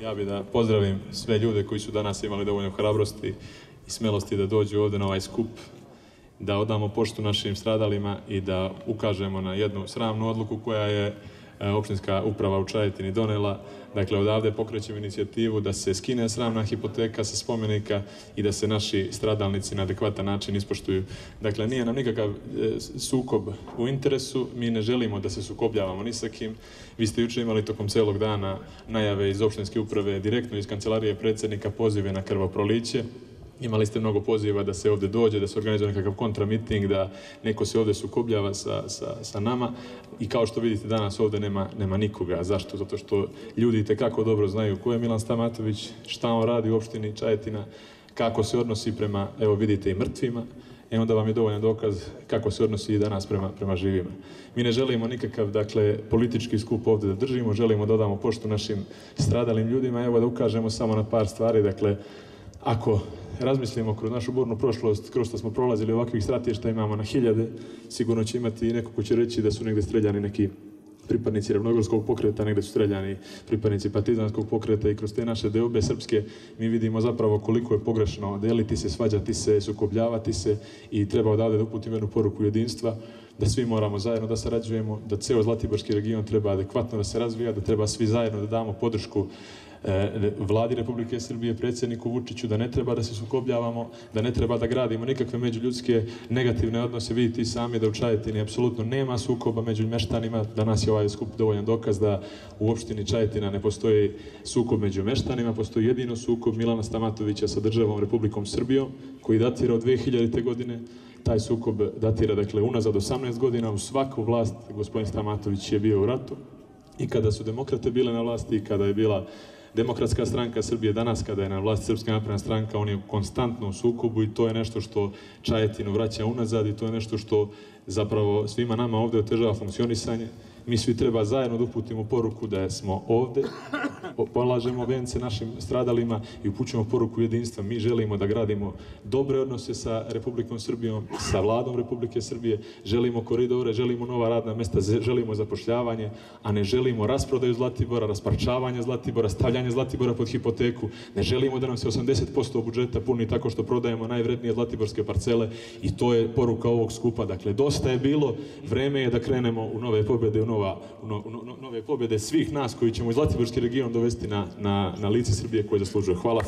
Ja bih da pozdravim sve ljude koji su danas imali dovoljno hrabrosti i smelosti da dođu ovde na ovaj skup, da odamo poštu našim stradalima i da ukažemo na jednu sramnu odluku koja je opštinska uprava u Čajetini donela. Dakle, odavde pokrećemo inicijativu da se skine sramna hipoteka sa spomenika i da se naši stradalnici na adekvatan način ispoštuju. Dakle, nije nam nikakav sukob u interesu, mi ne želimo da se sukobljavamo ni sa kim. Vi ste juče imali tokom celog dana najave iz opštinske uprave, direktno iz kancelarije predsjednika, pozive na krvoproliće. Imali ste mnogo poziva da se ovde dođe, da se organizuje nekakav kontramiting, da neko se ovde sukobljava sa nama i kao što vidite danas ovde nema nikoga. Zašto? Zato što ljudi itekako dobro znaju ko je Milan Stamatović, šta on radi u opštini Čajetina, kako se odnosi prema, evo vidite, i mrtvima, onda vam je dovoljan dokaz kako se odnosi i danas prema živima. Mi ne želimo nikakav, dakle, politički skup ovde da držimo, želimo da damo poštu našim stradalim ljudima, evo da ukažemo samo na par stvari, dakle, ako razmislimo kroz našu burnu prošlost, kroz što smo prolazili ovakvih stratišta, imamo na hiljade, sigurno će imati i neko ko će reći da su negde streljani neki pripadnici ravnogorskog pokreta, negde su streljani pripadnici partizanskog pokreta i kroz te naše deobe srpske mi vidimo zapravo koliko je pogrešno deliti se, svađati se, sukobljavati se i treba odavde da uputimo jednu poruku jedinstva, da svi moramo zajedno da sarađujemo, da ceo Zlatiborski region treba adekvatno da se razvija, da treba svi zajedno da damo podršku Vladi Republike Srbije, predsjedniku Vučiću, da ne treba da se sukobljavamo, da ne treba da gradimo nikakve međuljudske negativne odnose. Vidite i sami da u Čajetini apsolutno nema sukoba među meštanima. Danas je ovaj skup dovoljan dokaz da u opštini Čajetina ne postoji sukob među meštanima, postoji jedino sukob Milana Stamatovića sa državom Republikom Srbijom, koji datira od 2000. godine. Taj sukob datira, dakle, unazad 18 godina. U svaku vlast gospodin Stamatović je bio u ratu i kada su demokrate bile na vlasti i kada je bila Demokratska stranka Srbije, danas kada je na vlasti Srpska napredna stranka, on je konstantno u sukobu i to je nešto što Čajetinu vraća unazad i to je nešto što zapravo svima nama ovde otežava funkcionisanje. Mi svi treba zajedno da uputimo poruku da smo ovde, polažemo vence našim stradalima i upućujemo poruku jedinstva. Mi želimo da gradimo dobre odnose sa Republikom Srbijom, sa Vladom Republike Srbije, želimo koridore, želimo nova radna mesta, želimo zapošljavanje, a ne želimo rasprodaju Zlatibora, rasparčavanje Zlatibora, stavljanje Zlatibora pod hipoteku. Ne želimo da nam se 80% budžeta puni tako što prodajemo najvrednije zlatiborske parcele i to je poruka ovog skupa. Dakle, dosta je bilo, vreme je da krenemo u nove pobjede, u nove pobjede svih nas koji ćemo i Zlatiborski region dovesti na lice Srbije koje zaslužuje. Hvala.